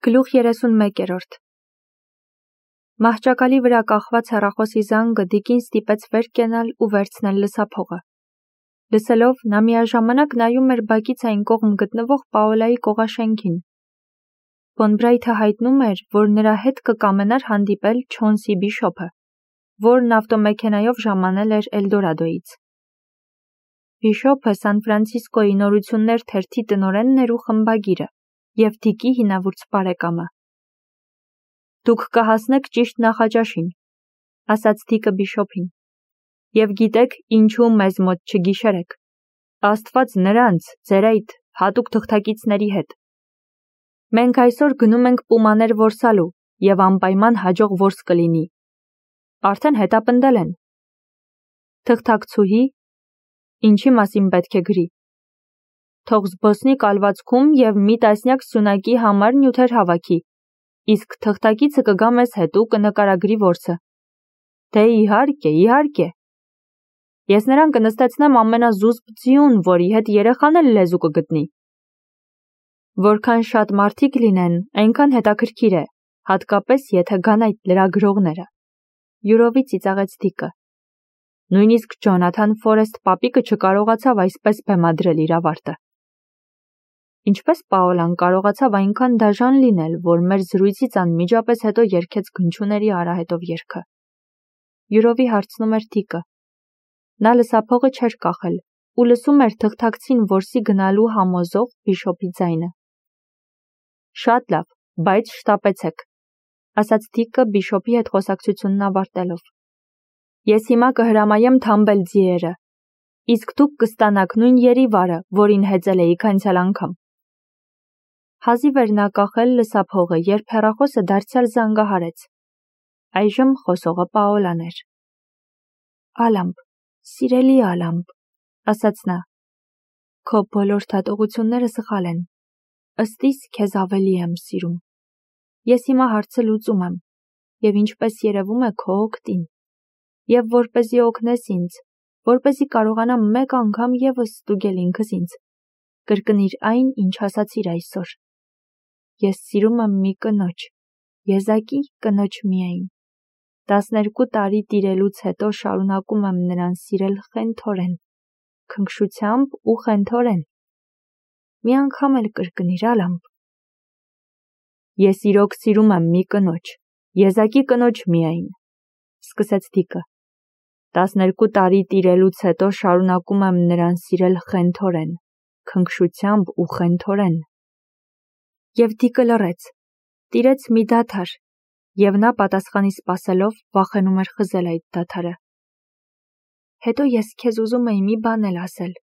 Գլուխ 31-րդ Մահճակալի վրա կախված հեռախոսի զանգը Դիկին ստիպեց վեր կենալ ու վերցնել լսափողը։ Լսելով, նա միաժամանակ նայում էր բակից այն կողմ գտնվող Պաոլայի կողաշենքին։ Ֆոն Բրայթը հայտնում էր, որ նրա հետ կկամենար հանդիպել Չոնսի Բիշոփը, որն ավտոմեքենայով ժամանել էր Էլդորադոից։ Բիշոփը Սան Ֆրանցիսկոյի նորություններ թերթի տնօրենն էր ու խմբագիրը և Դիկի հինավուրց բարեկամը։ Դուք կհասնեք ճիշտ նախաճաշին, ասաց Դիկը Բիշոփին, և գիտեք ինչու մեզ մոտ չգիշերեք, Աստված նրանց, ձեր այդ հատուկ թղթակիցների հետ։ Մենք այսօր գնում ենք պումաներ որսալու և անպայման հաջող որս կլինի։ Արդեն հետապնդել են։ Թղթակցուհի, ինչի մասին պետք է գրի։ Թող զբոսնի կալվածքում և մի տասնյակ սյունակի համար նյութեր հավաքի, իսկ թղթակիցը կգա մեզ հետ ու կնկարագրի որսը։ Դե իհարկե։ Ես նրան կնստեցնեմ ամենազուսպ ձիուն, որի հետ երեխան էլ լեզու կգտնի։ Որքան շատ մարդիկ լինեն, այնքան հետաքրքիր է, հատկապես եթե գան այդ լրագրողները։ Յուրովի ծիծաղեց Դիկը։ Նույնիսկ Ջոնաթան Ֆորեսթ պապիկը չկարողացավ այսպես բեմադրել իր ավարտը։ Ինչպես Պաոլան կարողացավ այնքան դաժան լինել, որ մեր զրույցից անմիջապես հետո երգեց Գնչուների արահետով երգը։ Յուրովի հարցնում էր Դիկը։ Նա լսափողը չէր կախել ու լսում էր թղթակցին որսի գնալու համոզող Բիշոփի ձայնը։ Շատ լավ, բայց շտապեցեք, ասաց Դիկը Բիշոփի հետ խոսակցությունն ավարտելով։ Ես հիմա կհրամայեմ թամբել ձիերը, իսկ դուք կստանաք նույն երիվարը, որին հեծել էիք անցյալ անգամ։ Հազիվ էր նա կախել լսափողը, երբ հեռախոսը դարձյալ զանգահարեց։ Այժմ խոսողը Պաոլան էր։ Ալամպ, սիրելի Ալամպ, ասաց նա։ Քո բոլոր դատողությունները սխալ են։ Ըստ իս քեզ ավելի եմ սիրում։ Ես հիմա հարցը լուծում եմ, և ինչպես երևում է քո օգտին։ Եվ որպեսզի օգնես ինձ, որպեսզի կարողանամ մեկ անգամ ևս ստուգել ինքս ինձ, կրկնիր այն, ինչ ասացիր այսօր։ Ես սիրում եմ մի կնոջ, եզակի կնոջ միայն։ 12 տարի տիրելուց հետո շարունակում եմ նրան սիրել խենթորեն, քնքշությամբ ու խենթորեն։ Մի անգամ էլ կրկնիր Ալամպ։ Ես իրոք սիրում եմ մի կնոջ, եզակի կնոջ միայն, սկսեց Դիկը։ 12 տարի տիրելուց հետո շարունակում եմ նրան սիրել խենթորեն, քնքշությամբ ու խենթորեն։ Եվ Դիկը լռեց, տիրեց մի դադար, և նա պատասխանի սպասելով վախենում էր խզել այդ դադարը։ Հետո ես քեզ ուզում էի մի բան էլ ասել,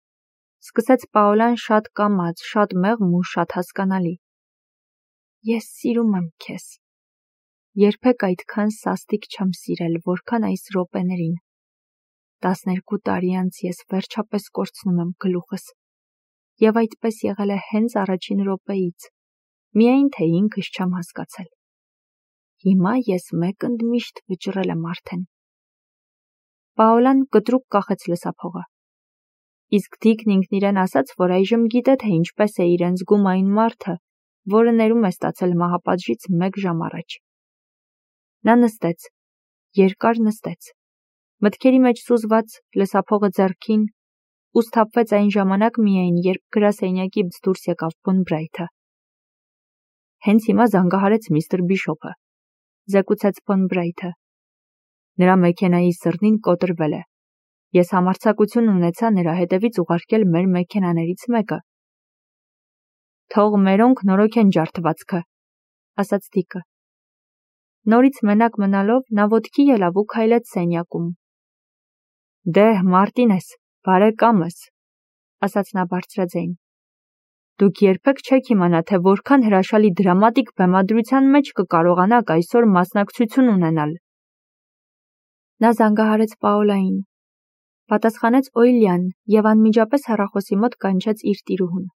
սկսեց Պաոլան շատ կամաց, շատ մեղմ ու շատ հասկանալի։ Ես սիրում եմ քեզ։ Երբեք այդքան սաստիկ չեմ սիրել, որքան այս րոպեներին։ 12 տարի անց ես վերջապես կորցնում եմ գլուխս։ Եվ այդպես եղել է հենց առաջին րոպեից, միայն թե ինքս չեմ հասկացել։ Հիմա ես մեկ ընդմիշտ վճռել եմ արդեն։ Պաոլան կտրուկ կախեց լսափողը։ Իսկ Դիկն ինքն իրեն ասաց, որ այժմ գիտե, թե ինչպես է իրեն զգում այն մարդը, որը ներում է ստացել մահապատժից 1 ժամ առաջ։ Նա նստեց, երկար նստեց, մտքերի մեջ սուզված, լսափողը ձեռքին, ու սթափվեց այն ժամանակ միայն, երբ գրասենյակից դուրս եկավ Ֆոն Բրայթը։ Հենց հիմա զանգահարեց միստր Բիշոփը, զեկուցեց Ֆոն Բրայթը։ Նրա մեքենայի սրնին կոտրվել է։ Ես համարձակություն ունեցա նրա հետևից ուղարկել մեր մեքենաներից մեկը։ Թող մերոնք նորոգեն ջարդվածքը, ասաց Դիկը։ Նորից մենակ մնալով նա ոտքի ելավ ու քայլեց սենյակում։ Դե, Մարտինես, բարեկամս, ասաց նա բարձրաձայն։ Դուք երբեք չեք իմանա, թե որքան հրաշալի դրամատիկ բեմադրության մեջ կկարողանաք այսօր մասնակցություն ունենալ։ Նա զանգահարեց Պաոլային, պատասխանեց Օյլյան և անմիջապես հեռախոսի մոտ կանչեց իր տիրուհուն։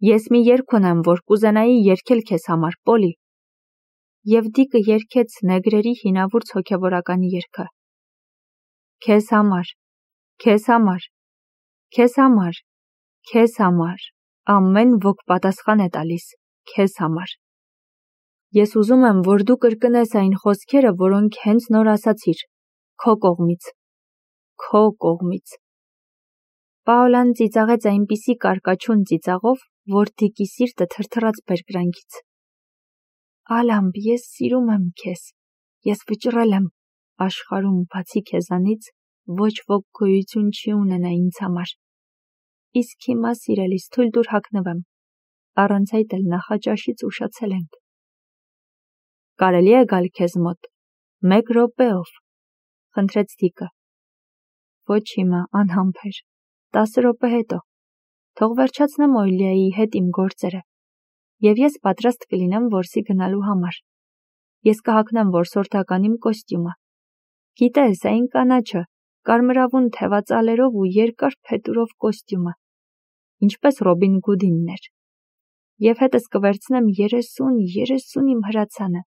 Ես մի երգ ունեմ, որ կուզենայի երգել քեզ համար, Պոլի։ Եվ Դիկը երգեց նեգրերի հինավուրց հոգևորականի երգը։ Քեզ համար, քեզ համար, քեզ համար, քեզ համար, ամեն ոք պատասխան է տալիս, քեզ համար։ Ես ուզում եմ, որ դու կրկնես այն խոսքերը, որոնք հենց նոր ասացիր, քո կողմից։ Պաոլան ծիծաղեց այնպիսի կարկաչուն ծիծաղով, որ Դիկի սիրտը թրթռաց բերկրանքից։ Ալամբ, ես սիրում եմ քեզ, ես վճռել եմ, աշխարհում բացի քեզանից ոչ ոք գոյություն չի ունենա ինձ համար։ Իսկ հիմա սիրելիս թույլ տուր հագնվեմ, առանց այդ էլ նախաճաշից ուշացել ենք։ Կարելի է գալ քեզ մոտ, 1 րոպեով, խնդրեց Դիկը։ Ոչ հիմա, անհամբեր, 10 րոպե հետո, թող վերջացնեմ Օյլիայի հետ իմ գործերը, և ես պատրաստ կլինեմ որսի գնալու համար։ Ես կհագնեմ որսորդական իմ կոստյումը։ Գիտես, այն կանաչը, կարմրավուն թևածալերով ու երկար փետուրով կոստյումը, ինչպես Ռոբին Գուդինն էր։ Եվ հետս կվերցնեմ 30 իմ հրացանը։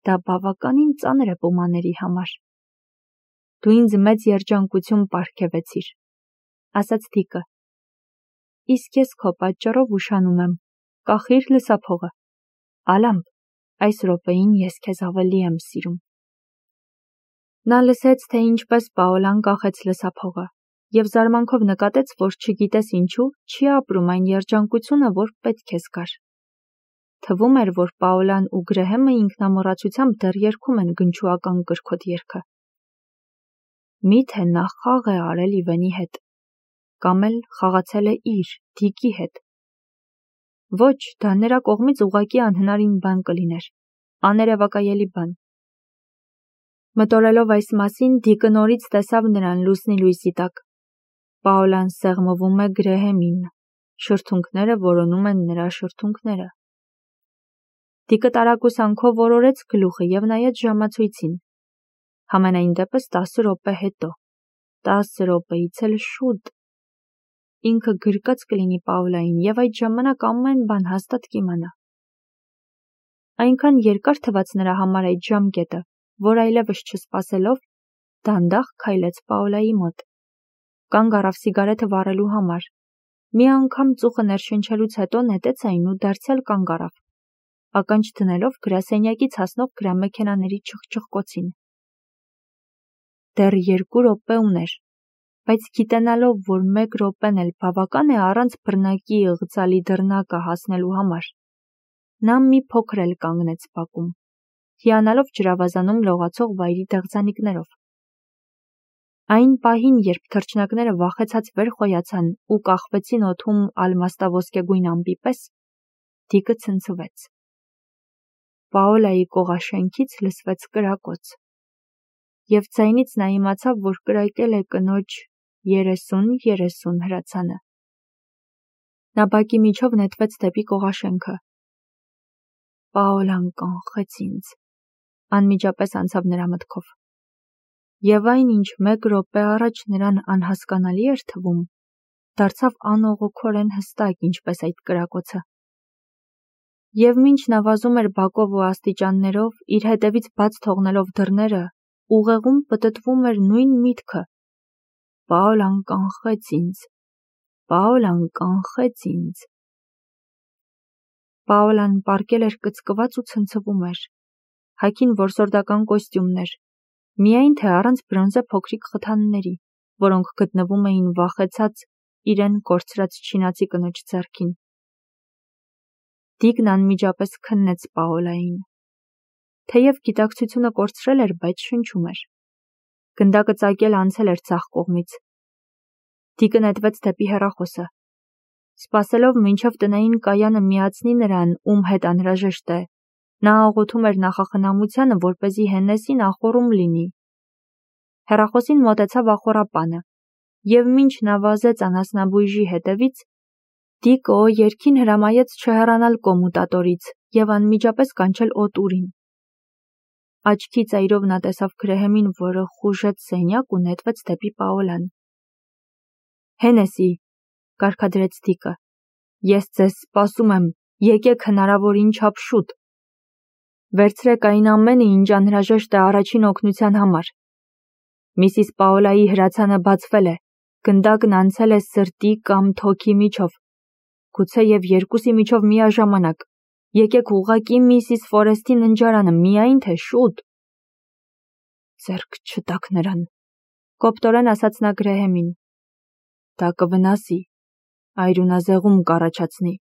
Դա բավականին ծանր է պոմաների համար։ Դու ինձ մեծ երջանկություն պարգևեցիր, ասաց Դիկը։ Իսկ ես քո պատճառով ուշանում եմ, կախիր լսափողը։ Ալամբ, այս րոպեին ես քեզ ավելի եմ սիրում։ Նա լսեց, թե ինչպես Պաոլան կախեց լսափողը, և զարմանքով նկատեց, որ չգիտես ինչու չի ապրում այն երջանկությունը, որ պետք է զգար։ Թվում էր, որ Պաոլան ու Գրեհեմը ինքնամոռացությամբ դեռ երգում են գնչուական կրքոտ երգը։ Միթե նա խաղ է արել Իվենի հետ, կամ էլ խաղացել է իր, Դիկի հետ։ Ոչ, դա նրա կողմից ուղղակի անհնարին բան կլիներ, աներևակայելի բան։ Մտորելով այս մասին, Դիկը նորից տեսավ նրան լուսնի լույսի տակ։ Պաոլան սեղմվում է Գրեհեմին, շրթունքները որոնում են նրա շրթունքները։ Դիկը տարակուսանքով որորեց գլուխը և նայեց ժամացույցին։ Համենայն դեպս 10 րոպե հետո, 10 րոպեից էլ շուտ։ Ինքը գրկած կլինի Պաոլային և այդ ժամանակ ամեն բան հաստատ կիմանա։ Այնքան երկար թվաց նրա համար այդ ժամկետը, որ այլևս չսպասելով, դանդաղ քայլեց Պաոլայի մոտ։ Կանգ առավ սիգարետը վառելու համար։ Մի անգամ ծուխը ներշնչելուց հետո նետեց այն ու դարձյալ կանգ առավ, ականջ դնելով գրասենյակից հասնող գրամեքենաների չխչխկոցին։ Դեռ 2 րոպե ուներ, բայց գիտենալով, որ 1 րոպեն էլ բավական է առանց բռնակի ըղձալի դռնակը հասնելու համար, նա մի փոքր էլ կանգնեց բակում, հիանալով ջրավազանում լողացող վայրի դեղձանիկներով։ Այն պահին, երբ թռչնակները վախեցած վեր խոյացան ու կախվեցին օդում ալմաստաոսկեգույն ամպի պես, Դիկը ցնցվեց։ Պաոլայի կողաշենքից լսվեց կրակոց, և ձայնից նա իմացավ, որ կրակել է կնոջ 30-30 հրացանը։ Նա բակի միջով նետվեց դեպի կողաշենքը։ Պաոլան կանխեց ինձ, անմիջապես անցավ նրա մտքով։ Եվ այն, ինչ 1 րոպե առաջ նրան անհասկանալի էր թվում, դարձավ անողոքորեն հստակ, ինչպես այդ կրակոցը։ Եվ մինչ նա վազում էր բակով ու աստիճաններով, իր հետևից բաց թողնելով դռները, ուղեղում պտտվում էր նույն միտքը. Պաոլան կանխեց ինձ, Պաոլան կանխեց ինձ։ Պաոլան պառկել էր կծկված ու ցնցվում էր, հագին որսորդական կոստյումներ, միայն թե առանց բրոնզե փոքրիկ խթանների, որոնք գտնվում էին վախեցած իրեն կորցրած չինացի կնոջ ձեռքին։ Դիկն անմիջապես քննեց Պաոլային։ Թեև գիտակցությունը կորցրել էր, բայց շնչում էր։ Գնդակը ծակել անցել էր ցախ կողմից։ Դիկը նետվեց դեպի հեռախոսը։ Սպասելով մինչև տնային կայանը միացնի նրան, ում հետ անհրաժեշտ է, նա աղոթում էր նախախնամությանը, որպեսզի Հեննեսին ախոռում լինի։ Հեռախոսին մոտեցավ ախոռապանը, և մինչ նա վազեց անասնաբույժի հետևից, Դիկը երգին հրամայեց չհեռանալ կոմուտատորից և անմիջապես կանչել օտուրին։ Աչքի ծայրով նա տեսավ Գրեհեմին, որը խուժեց սենյակ ու նետվեց դեպի Պաոլան։ Հենեսի, կարգադրեց Դիկը, ես ձեզ սպասում եմ, եկեք հնարավորին չափ շուտ։ Վերցրեք այն ամենը, ինչ անհրաժեշտ է առաջին օգնության համար։ Միսիս Պաոլայի հրացանը բացվել է, գնդակն անցել է սրտի կամ թոքի միջով, գուցե և երկուսի միջով միաժամանակ, Եկեք ուղղակի Միսիս Ֆորեսթի ննջարանը, միայն թե շուտ։ Ձեռք չտաք նրան, կոպտորեն ասաց նա Գրեհեմին։ Դա կվնասի, այրունազեղում կառաջացնի։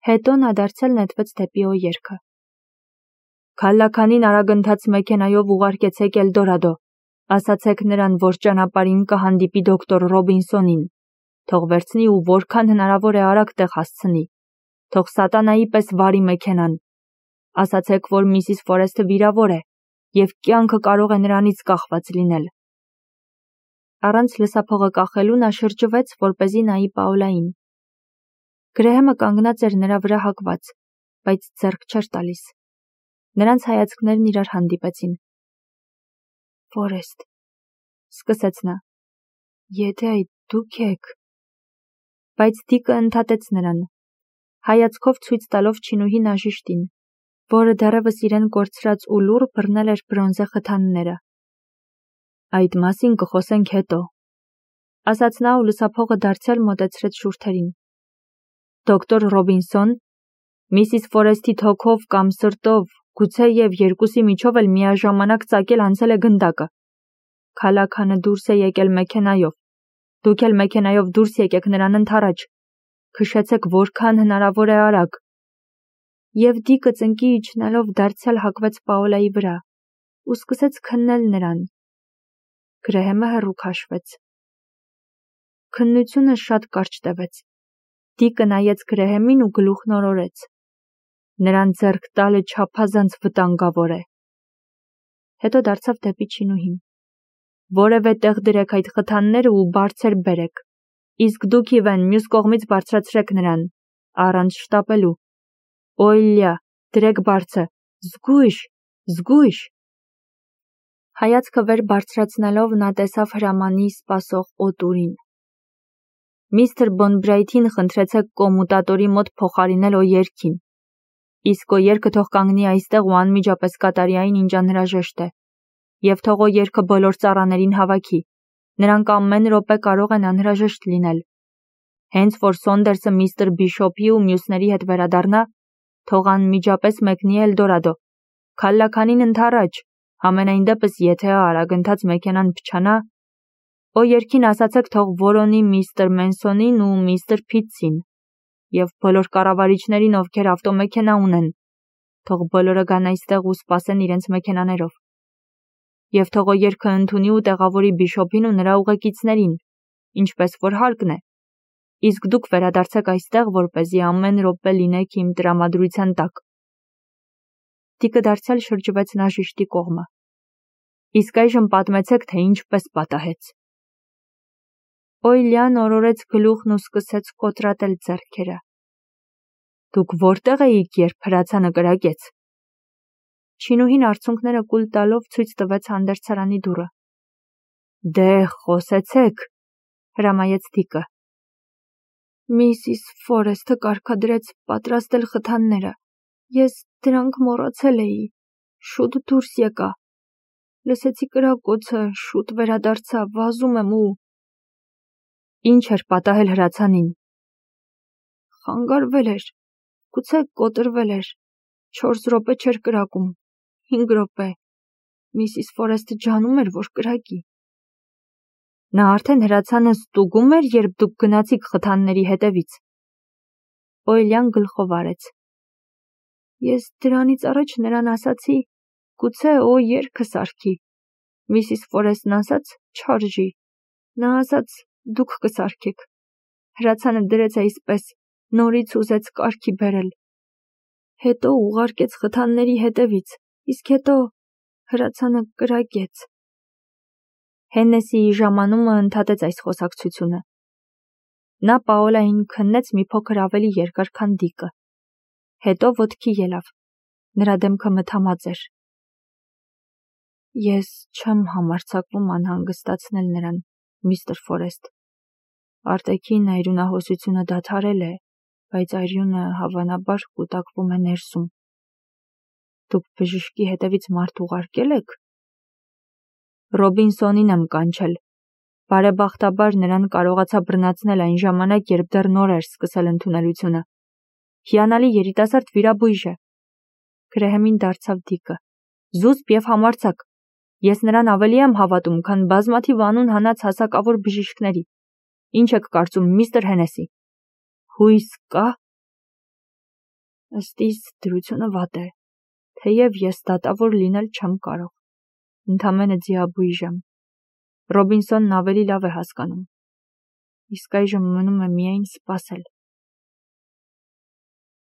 Հետո նա դարձյալ նետվեց դեպի օերքը։ Քալլաքանին արագընթաց մեքենայով ուղարկեցեք Էլդորադո, ասացեք նրան, որ ճանապարհին կհանդիպի դոկտոր Ռոբինսոնին, թող վերցնի ու որքան հնարավոր է արագ տեղ հասցնի, թող սատանայի պես վարի մեքենան, ասացեք, որ Միսիս Ֆորեսթը վիրավոր է և կյանքը կարող է նրանից կախված լինել։ Առանց լսափողը կախելու նա շրջվեց, որպեսզի նայի Պաոլային։ Գրեհեմը կանգնած էր նրա վրա հակված, բայց ձեռք չէր տալիս։ Նրանց հայացքներն իրար հանդիպեցին։ Ֆորեսթ, սկսեց նա, եթե այդ դուք եք։ Բայց Դիկը ընդհատեց նրան, հայացքով ցույց տալով Չինուհի նաժիշտին, որը դեռևս իրեն կորցրած ու լուռ բռնել էր բրոնզե խթանները։ Այդ մասին կխոսենք հետո, ասաց նա ու լսափողը դարձյալ մոտեցրեց շուրթերին։ Դոկտոր Ռոբինսոն, Միսիս Ֆորեսթի թոքով կամ սրտով, գուցե և երկուսի միջով էլ միաժամանակ ծակել անցել է գնդակը։ Քալաքանը դուրս է եկել մեքենայով։ Դուք էլ մեքենայով դուրս եկեք նրան ընդառաջ։ Քշեցեք որքան հնարավոր է արագ։ Եվ Դիկը ծնկի իջնելով դարձյալ հակվեց Պաոլայի վրա ու սկսեց քննել նրան։ Գրեհեմը հեռու քաշվեց։ Քննությունը շատ կարճ տևեց։ Դիկը նայեց Գրեհեմին ու գլուխն օրորեց։ Նրան ձեռք տալը չափազանց վտանգավոր է։ Հետո դարձավ դեպի Չինուհին։ Որևէ տեղ դրեք այդ խթանները ու բարձր բերեք։ Իսկ դուք Իվեն մյուս կողմից բարձրացրեք նրան, առանց շտապելու։ Օյլյա, դրեք բարձը, զգույշ, զգույշ։ Հայացքը վեր բարձրացնելով նա տեսավ հրամանի սպասող օտուրին։ Միստր Բոնբրայթին խնդրեցեք կոմուտատորի մոտ փոխարինել օերքին։ Իսկ օերքը թող կանգնի այստեղ ու անմիջապես կատարի այն, ինչ անհրաժեշտ է։ Եվ թող օերքը բոլոր ծառաներին հավաքի։ Նրանք ամեն րոպե կարող են անհրաժեշտ լինել։ Հենց որ Սոնդերսը միստր Բիշոփի ու մյուսների հետ վերադառնա, թող անմիջապես մեկնի Էլդորադո։ Քալլաքանին ընդառաջ, համենայն դեպս եթե արագընթաց մեքենան փչանա, օերքին ասացեք թող որոնի միստր Մենսոնին ու միստր Փիթսին և բոլոր կառավարիչներին, ովքեր ավտոմեքենա ունեն, թող բոլորը գան այստեղ ու սպասեն իրենց մեքենաներով։ Եվ թող օերքը ընդունի ու տեղավորի Բիշոփին ու նրա ուղեկիցներին, ինչպես որ հարկն է։ Իսկ դուք վերադարձեք այստեղ, որպեսզի ամեն րոպե լինեք իմ տրամադրության տակ։ Դիկը դարձյալ շրջվեց նաժիշտի կողմը։ Իսկ այժմ պատմեցեք, թե ինչպես պատահեց։ Օյլյան օրորեց գլուխն ու սկսեց կոտրատել ձեռքերը։ Դուք որտեղ էիք, երբ հրացանը կրակեց։ Չինուհին արցունքները կուլ տալով ցույց տվեց հանդերձարանի դուռը։ Դե խոսեցեք, հրամայեց Դիկը։ Միսիս Ֆորեսթը կարգադրեց պատրաստել խթանները։ Ես դրանք մոռացել էի։ Շուտ դուրս եկա։ Լսեցի կրակոցը, շուտ վերադարձա, վազում եմ ու… Ինչ էր պատահել հրացանին։ Խանգարվել էր, գուցե կոտրվել էր, 4 րոպե չէր կրակում, 5 րոպե, Միսիս Ֆորեսթը ջանում էր, որ կրակի։ Նա արդեն հրացանը ստուգում էր, երբ դուք գնացիք խթանների հետևից։ Օյլյան գլխով արեց։ Ես դրանից առաջ նրան ասացի, գուցե երգը սարքի։ Միսիս Ֆորեսթն ասաց, չարժի։ Նա ասաց, դուք կսարքեք։ Հրացանը դրեց այսպես, նորից ուզեց կարգի բերել։ Հետո ուղարկեց խթանների հետևից, իսկ հետո հրացանը կրակեց։ Հեննեսիի ժամանումը ընդհատեց այս խոսակցությունը։ Նա Պաոլային քննեց մի փոքր ավելի երկար, քան Դիկը։ Հետո ոտքի ելավ։ Նրա դեմքը մթամած էր։ Ես չեմ համարձակվում անհանգստացնել նրան, միստր Ֆորեսթ։ Արտաքին այրունահոսությունը դադարել է, բայց այրյունը հավանաբար կուտակվում է ներսում։ Դուք բժշկի հետևից մարդ ուղարկել եք։ Ռոբինսոնին եմ կանչել։ Բարեբախտաբար նրան կարողացա բռնացնել այն ժամանակ, երբ դեռ նոր էր սկսել ընդունելությունը։ Հիանալի երիտասարդ վիրաբույժ է։ Գրեհեմին դարձավ դիկը։ Զուսպ և համարձակ։ Ես նրան ավելի եմ հավատում, քան բազմաթիվ անուն հանած հասակավոր բժիշկների։ Ինչ եք կարծում, միստր Հենեսի։ Հույս կա։ Ըստ իս դրությունը վատ է, թեև ես դատավոր լինել չեմ կարող։ Ընդամենը ձիաբույժ եմ։ Ռոբինսոնն ավելի լավ է հասկանում։ Իսկ այժմ մնում է միայն սպասել։